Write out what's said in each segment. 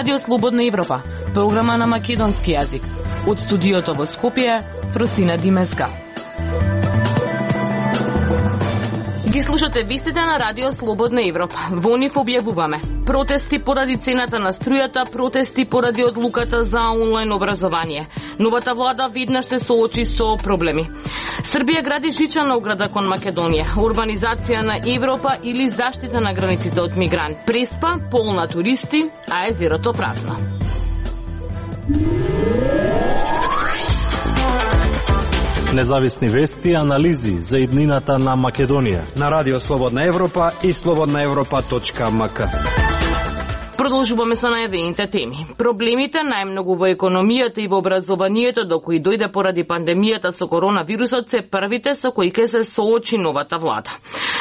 Радио Слободна Европа, програма на македонски јазик. Од студиото во Скопје, Фросина Димеска. Ги слушате вестите на Радио Слободна Европа. Во нив објавуваме протести поради цената на струјата, протести поради одлуката за онлайн образование. Новата влада веднаш се соочи со проблеми. Србија гради жичана ограда кон Македонија, урбанизација на Европа или заштита на границите од мигранти. Преспа полна туристи, а езерото празно. Независни вести и анализи за иднината на Македонија на Радио Слободна Европа и slobodnaevropa.mk. Продолжуваме со најавените теми. Проблемите најмногу во економијата и во образованието до кои дојде поради пандемијата со коронавирусот се првите со кои ќе се соочи новата влада.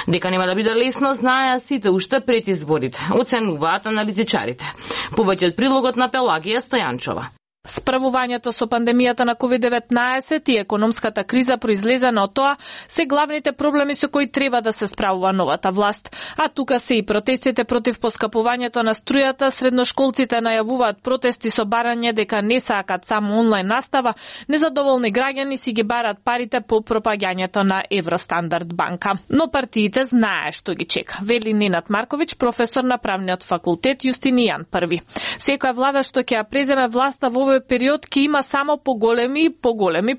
Дека нема да биде лесно, знаеа сите уште пред изборите, оценуваат аналитичарите. Повеќе од прилогот на Пелагија Стојанчова. Справувањето со пандемијата на COVID-19 и економската криза произлезена од тоа се главните проблеми со кои треба да се справува новата власт. А тука се и протестите против поскапувањето на струјата, средношколците најавуваат протести со барање дека не сакат само онлайн настава, незадоволни граѓани си ги барат парите по пропагањето на Евростандард банка. Но партиите знае што ги чека, вели Ненад Марковиќ, професор на правниот факултет Јустинијан I. Секоја влада што ќе ја преземе власта во период ќе има само поголеми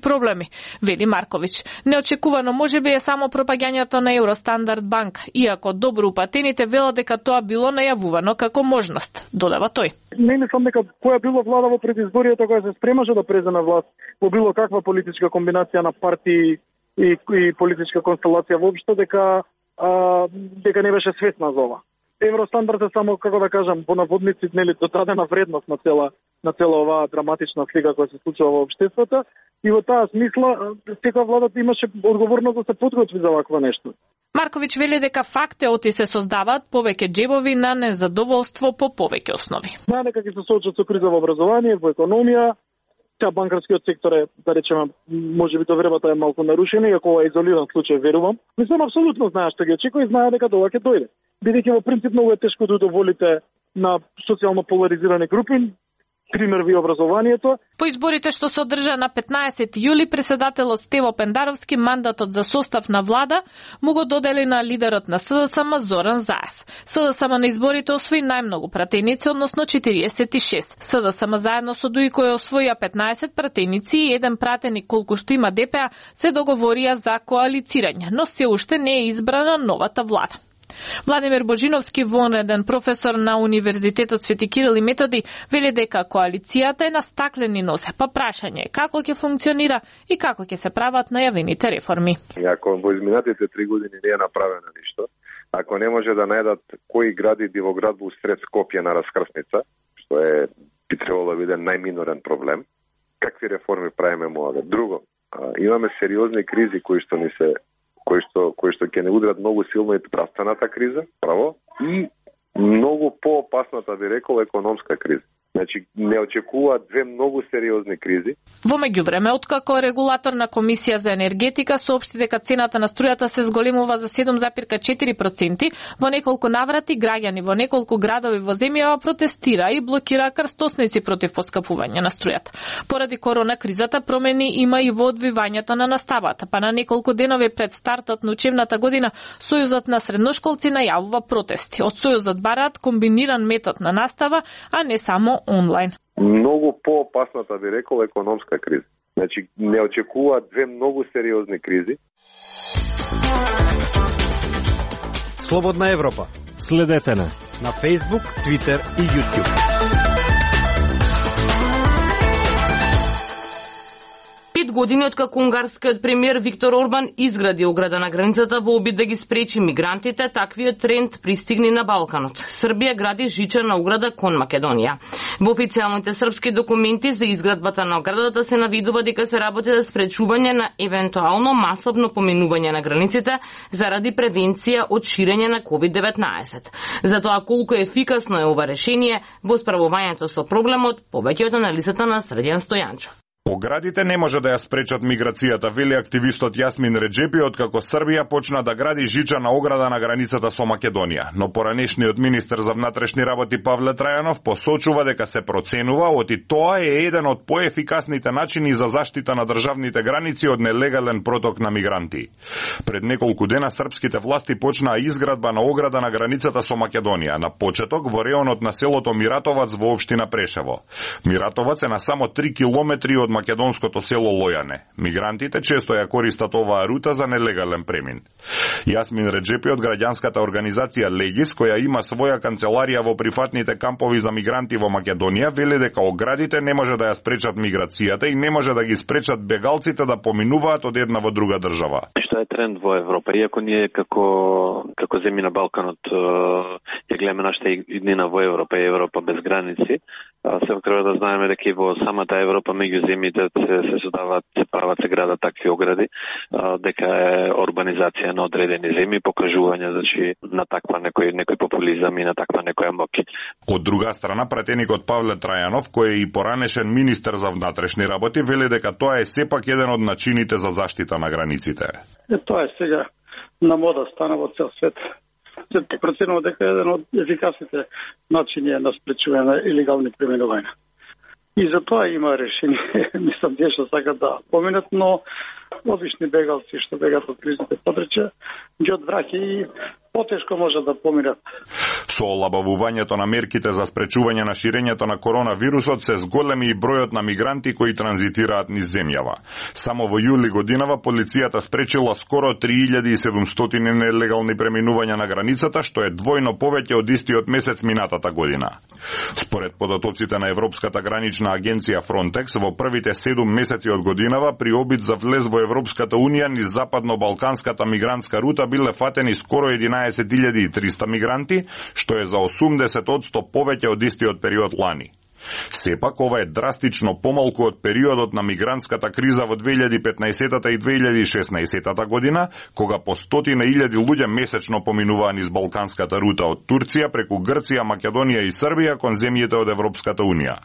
проблеми, вели Марковиќ. Неочекувано можеби е само пропагањето на Евростандард банк, иако добро упатените велат дека тоа било најавувано како можност, додава тој. Не мислам дека која била влада во предизборието која се спремаше да преземе власт во било каква политичка комбинација на партии и политичка констелација воопшто дека не беше свесна за ова. Евростандард е само, како да кажам, по наводници, нели, додадена вредност на цела оваа драматична слика која се случува во општеството, и во таа смисла секоја влада имаше одговорност да се подготви за вакво нешто. Марковиќ вели дека фактеоти се создаваат повеќе џебови на незадоволство по повеќе основи. Знае дека ќе се соочат со криза во образование, во економија. Банкарскиот сектор е, да речеме, можеби довербата е малку нарушена, иако ова е изолиран случај, верувам. Мислам, апсолутно знае што ги очекува и знае дека тоа ќе дојде. Бидејќи во принцип многу е тешко да удоволите на социјално поларизирани групи, пример ви образованието. По изборите што се одржа на 15 јули, председателот Стево Пендаровски мандатот за состав на влада му го додели на лидерот на СДСМ Зоран Заев. СДСМ на изборите освои најмногу пратеници, односно 46. СДСМ заедно со ДУИ кој освоија 15 пратеници и еден пратеник колку што има ДПА се договорија за коалицирање, но се уште не е избрана новата влада. Владимир Божиновски, вонреден професор на Универзитетот Свети Кирил и Методи, вели дека коалицијата е на стаклени нозе, па прашање е како ќе функционира и како ќе се прават најавените реформи. Ако во изминатите 3 години не е направено ништо, ако не може да најдат кои гради дивоград во сред Скопје на раскрсница, што би требало да биде најминорен проблем, какви реформи правиме моја? Друго, имаме сериозни кризи кои што ќе не удрат многу силно и здравствената криза, право, и многу поопасната, би рекол, економска криза. Значи, не очекуваат две многу сериозни кризи. Во меѓувреме, откако регулатор на Комисија за енергетика соопшти дека цената на струјата се зголемува за 7,4%, во неколку наврати граѓани во неколку градови во земјава протестира и блокира крстосници против поскапување на струјата. Поради корона кризата промени има и во одвивањето на наставата, па на неколку денови пред стартот на учебната година Сојузот на средношколци најавува протести. Од Сојузот бараат комбиниран метод на настава, а не само онлайн. Многу поопасната, би рекол, економска криза. Значи, не очекуваат две многу сериозни кризи. Слободна Европа. Следете на Facebook, Twitter и YouTube. 5 години откако унгарскиот премиер Виктор Орбан изгради ограда на границата во обид да ги спречи мигрантите, таквиот тренд пристигни на Балканот. Србија гради жичана ограда кон Македонија. Во официјалните српски документи за изградбата на оградата се навидува дека се работи за спречување на евентуално масовно поминување на границите заради превенција од ширење на COVID-19. За тоа колку ефикасно е ова решение во справувањето со проблемот, повеќе од анализата на Срдјан Стојанчов. Оградите не може да ја спречат миграцијата, вели активистот Јасмин Реджепи, откако Србија почна да гради жичана ограда на границата со Македонија. Но поранешниот министер за внатрешни работи Павле Трајанов посочува дека се проценува оти тоа е еден од поефикасните начини за заштита на државните граници од нелегален проток на мигранти. Пред неколку дена српските власти почнаа изградба на ограда на границата со Македонија, на почеток во реонот на селото Миратовац во општина Прешево. Миратовац е на само 3 километри од македонското село Лојане. Мигрантите често ја користат оваа рута за нелегален премин. Јасмин Реджепи од граѓанската организација Легис, која има своја канцеларија во прифатните кампови за мигранти во Македонија, вели дека оградите не може да ја спречат миграцијата и не може да ги спречат бегалците да поминуваат од една во друга држава. Што е тренд во Европа, иако ние како земји на Балканот ја гледаме нашата иднина во Европа и Европа без граници, се треба да знаеме дека и во самата Европа меѓу земјите се создаваат, се прават, се градат такви огради, дека е урбанизација на одредени земји, покажување на таква некој популизам и на таква некоја моќ. Од друга страна, пратеникот Павле Трајанов, кој е и поранешен министер за внатрешни работи, вели дека тоа е сепак еден од начините за заштита на границите. Тоа е сега на мода, стана во цел свет. Се проценува дека е еден од ефикасните начини на спречување на илегални преминувања. И за тоа има решение, мислам, тие што сакат да поминат, но обични бегалци што бегат од кризните подрачја, ги одвраќа и потешко може да поминат. Со олабавувањето на мерките за спречување на ширењето на коронавирусот се зголеми и бројот на мигранти кои транзитираат низ земјава. Само во јули годинава полицијата спречила скоро 3700 нелегални преминувања на границата, што е двојно повеќе од истиот месец минатата година. Според податоците на Европската гранична агенција Frontex, во првите 7 месеци од годинава при обид за влез во Европската унија низ западно-балканската мигрантска рута биле фатени скоро 11.300 мигранти, што е за 80% повеќе од истиот период лани. Сепак, ова е драстично помалку од периодот на мигрантската криза во 2015 и 2016 година, кога по 100.000 луѓе месечно поминуваа низ балканската рута од Турција преку Грција, Македонија и Србија кон земјите од Европската унија.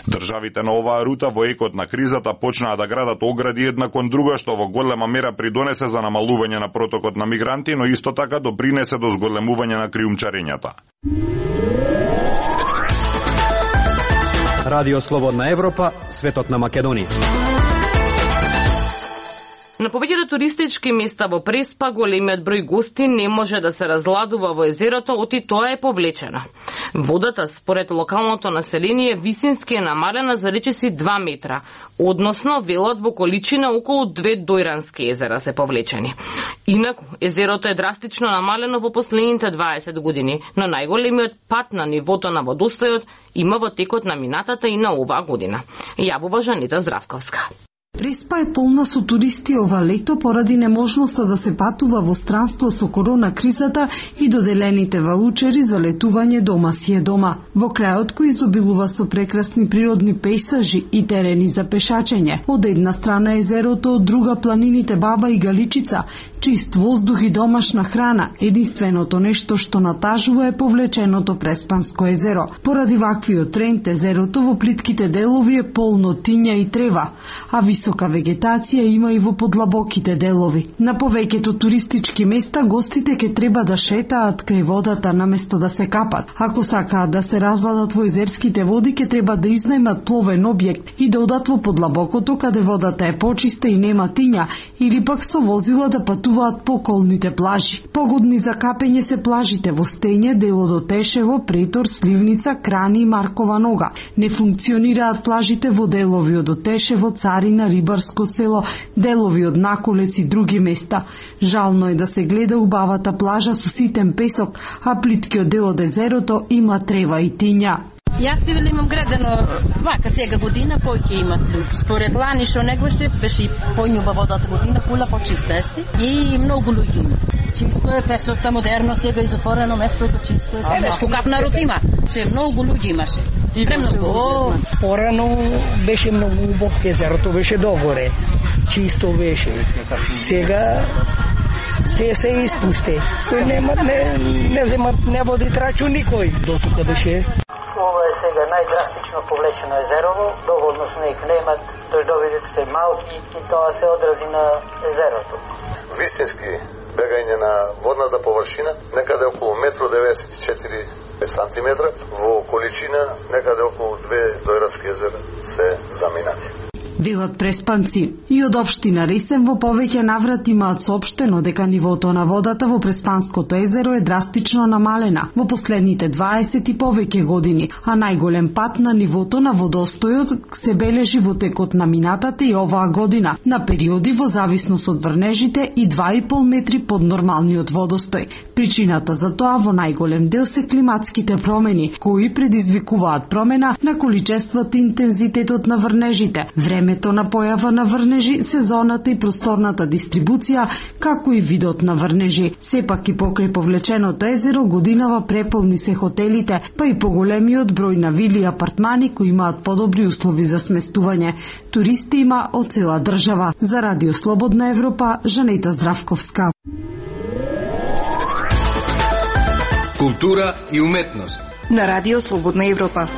Државите на оваа рута во екот на кризата почнаа да градат огради една кон друга, што во голема мера придонесе за намалување на протокот на мигранти, но исто така допринесе до зголемување на криумчарењата. Радио Слободна Европа, светот на Македонија. На повеќето туристички места во Преспа големиот број гости не може да се разладува во езерото, оти тоа е повлечена. Водата, според локалното население, висински е намалена за речиси 2 метра, односно велот во количина околу 2 дојрански езера се повлечени. Инаку, езерото е драстично намалено во последните 20 години, но најголемиот пат на нивото на водостојот има во текот на минатата и на оваа година. Јавува Жанита Здравковска. Преспа е полна со туристи ова лето поради неможноста да се патува во странство со корона кризата и доделените ваучери за летување дома си е дома. Во крајот кој изобилува со прекрасни природни пейсажи и терени за пешачење. Од една страна езерото, од друга планините Баба и Галичица, чист воздух и домашна храна. Единственото нешто што натажува е повлеченото Преспанско езеро. Поради ваквиот тренд езерото во плитките делови е полно тиња и трева, а висока вегетација има и во подлабоките делови. На повеќето туристички места гостите ќе треба да шетаат крај водата наместо да се капат. Ако сакаат да се разладат во езерските води, ќе треба да изнајмат пловен објект и да одат во подлабокото каде водата е почиста и нема тиња, или пак со возила да патуваат по околните плажи. Погодни за капење се плажите во Стење, дело до Тешево, Претор, Сливница, Крани и Маркова нога. Не функционираат плажите во делови од Тешево, Царина, Рибарско село, делови од Наколец и други места. Жално е да се гледа убавата плажа со ситен песок, а плиткиот дел од езерото има трева и тиња. Јас ти имам градено вака сега година, поќе имат луѓе. Според лани што негваше, беше појнуба водата година, пула почиста ести и многу луѓе има. Чисто е, песокта модерно, сега изотворено местото, чисто е. Нешко кап народ има, че многу луѓе имаше. Премногу. Порано беше многу убав, езерото беше догоре, чисто беше. Сега се испусте. Тој не земат, не води трачу никој. До тука беше. Ова е сега најдрастично повлечено езерово, доволно снег немат, дождовите се малки и тоа се одрази на езерото. Висински бегање на водната површина, некаде околу 1,94 сантиметра, во количина некаде околу 2 дојрадски езера се заминати. Велат Преспанци. И од општина Ресен во повеќе наврати имаат соопштено дека нивото на водата во Преспанското езеро е драстично намалена во последните 20 и повеќе години, а најголем пат на нивото на водостојот се бележи во текот на минатата и оваа година, на периоди во зависност од врнежите и 2,5 метри под нормалниот водостој. Причината за тоа во најголем дел се климатските промени, кои предизвикуваат промена на количеството и интензитетот на врнежите, времето на појава на врнежи, сезоната и просторната дистрибуција, како и видот на врнежи. Сепак и покрај повлеченото езеро годинава преполни се хотелите, па и поголемиот број на вили и апартмани кои имаат подобри услови за сместување. Туристи има од цела држава. За Радио Слободна Европа, Жанета Здравковска. Култура и уметност на Радио Слободна Европа.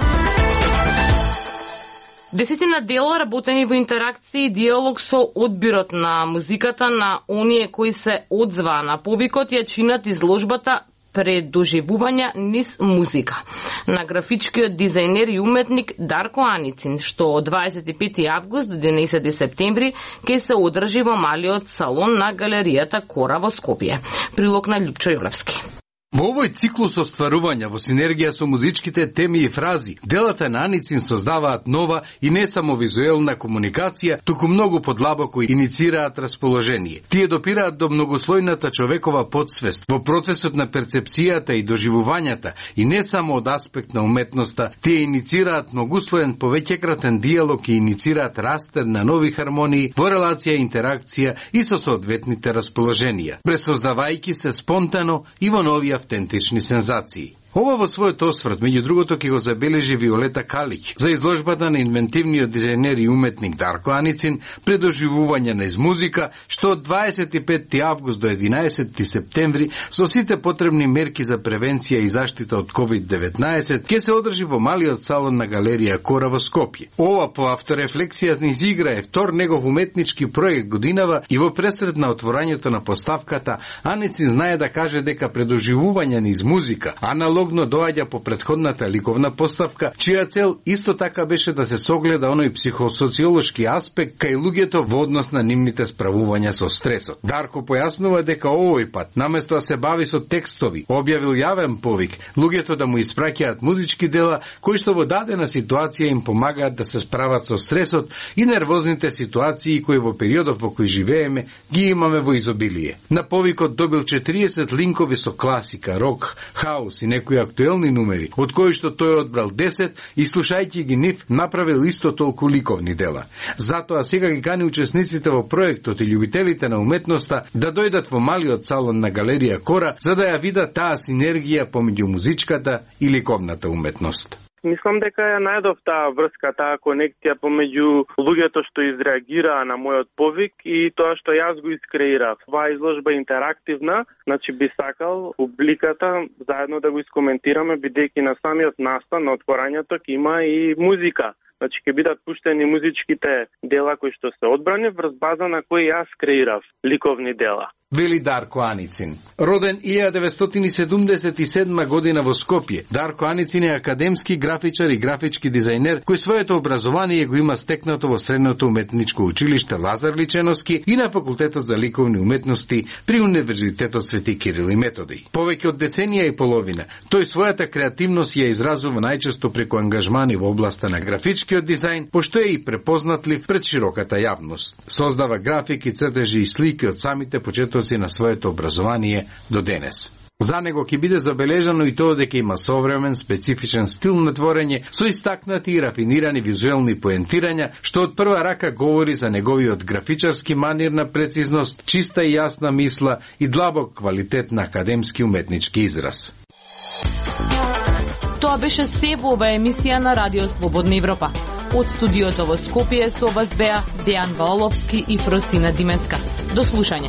Десетина дела работени во интеракција и диалог со одбирот на музиката на оние кои се одзваа на повикот ја чинат изложбата Предоживувања низ музика на графичкиот дизајнер и уметник Дарко Аницин, што од 25 август до 11 септември ќе се одржи во малиот салон на галеријата Кора во Скопје. Прилог на Љупчо Јолевски. Во овој циклус остварувања во синергија со музичките теми и фрази, делата на Аницин создаваат нова и не само визуелна комуникација, туку многу подлабоко иницираат расположение. Тие допираат до многослојната човекова подсвест во процесот на перцепцијата и доживувањата и не само од аспект на уметноста, тие иницираат многуслоен повеќекратен диалог и иницираат растер на нови хармонии во релација и интеракција и со соодветните расположенија, пресоздавајќи се спонтано и во нови автентични сензации. Ова во својот осврт, меѓу другото, ќе го забележи Виолета Калиќ за изложбата на инвентивниот дизајнер и уметник Дарко Аницин Предоживување низ музика, што од 25 август до 11 септември со сите потребни мерки за превенција и заштита од COVID-19 ќе се одржи во малиот салон на галерија Кора во Скопје. Ова по авторефлексија низ игра е втор негов уметнички проект годинава и во пресред на отворањето на поставката Аницин знае да каже дека Предоживување низ музика аналог доаѓа по претходната ликовна поставка, чија цел исто така беше да се согледа оној психосоциолошки аспект кај луѓето во однос на нивните справувања со стресот. Дарко појаснува дека овој пат, наместо да се бави со текстови, објавил јавен повик, луѓето да му испраќаат музички дела кои што во дадена ситуација им помагаат да се справат со стресот и нервозните ситуации кои во периодот во кој живееме ги имаме во изобилие. На повикот добил 40 линкови со класика, рок, хаус и некои актуелни numeri, од кои што тој одбрал 10 и слушајќи ги нив направил исто толку ликовни дела. Затоа сега ги кани учесниците во проектот и љубителите на уметноста да дојдат во малиот салон на галерија Кора за да ја видат таа синергија помеѓу музичката и ликовната уметност. Мислам дека ја најдов таа врска, таа конекција помеѓу луѓето што изреагираа на мојот повик и тоа што јас го искреирав. Оваа изложба е интерактивна, значи би сакал публиката заедно да го искоментираме, бидејќи на самиот настан на отворањето ќе има и музика. Значи ќе бидат пуштени музичките дела кои што се одбрани врз база на кои јас креирав ликовни дела. Вели Дарко Аницин. Роден 1977 година во Скопје, Дарко Аницин е академски графичар и графички дизајнер кој своето образование го има стекнато во Средното уметничко училиште Лазар Личеновски и на Факултетот за ликовни уметности при Универзитетот Свети Кирил и Методий. Повеќе од деценија и половина, тој својата креативност ја изразува најчесто преку ангажмани во областа на графичкиот дизајн, пошто е и препознатлив пред широката јавност. Создава графики, цртежи и слики од самите почетоци на своето образование до денес. За него ќе биде забележано и тоа дека има современ, специфичен стил на творење со истакнати и рафинирани визуелни поентирања, што од прва рака говори за неговиот графичарски манир на прецизност, чиста и јасна мисла и длабок квалитет на академски уметнички израз. Тоа беше се во оваа емисија на Радио Слободна Европа. Од студиото во Скопје со вас беа Дејан Валовски и Фростина Димеска. До слушање.